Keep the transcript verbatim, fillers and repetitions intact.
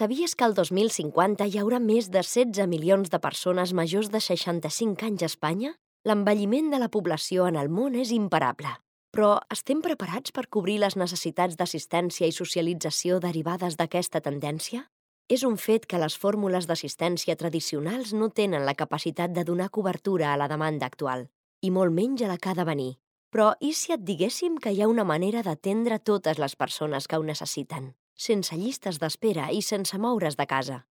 Sabies que el dos mil cinquanta hi haurà més de setze milions de persones majors de seixanta-cinc anys a Espanya? L'envelliment de la població en el món és imparable. Però estem preparats per cobrir les necessitats d'assistència i socialització derivades d'aquesta tendència? És un fet que les fórmules d'assistència tradicionals no tenen la capacitat de donar cobertura a la demanda actual, i molt menys a la que ha de venir. Però i si et diguéssim que hi ha una manera d'atendre totes les persones que ho necessiten, sense llistes d'espera i sense moure's de casa?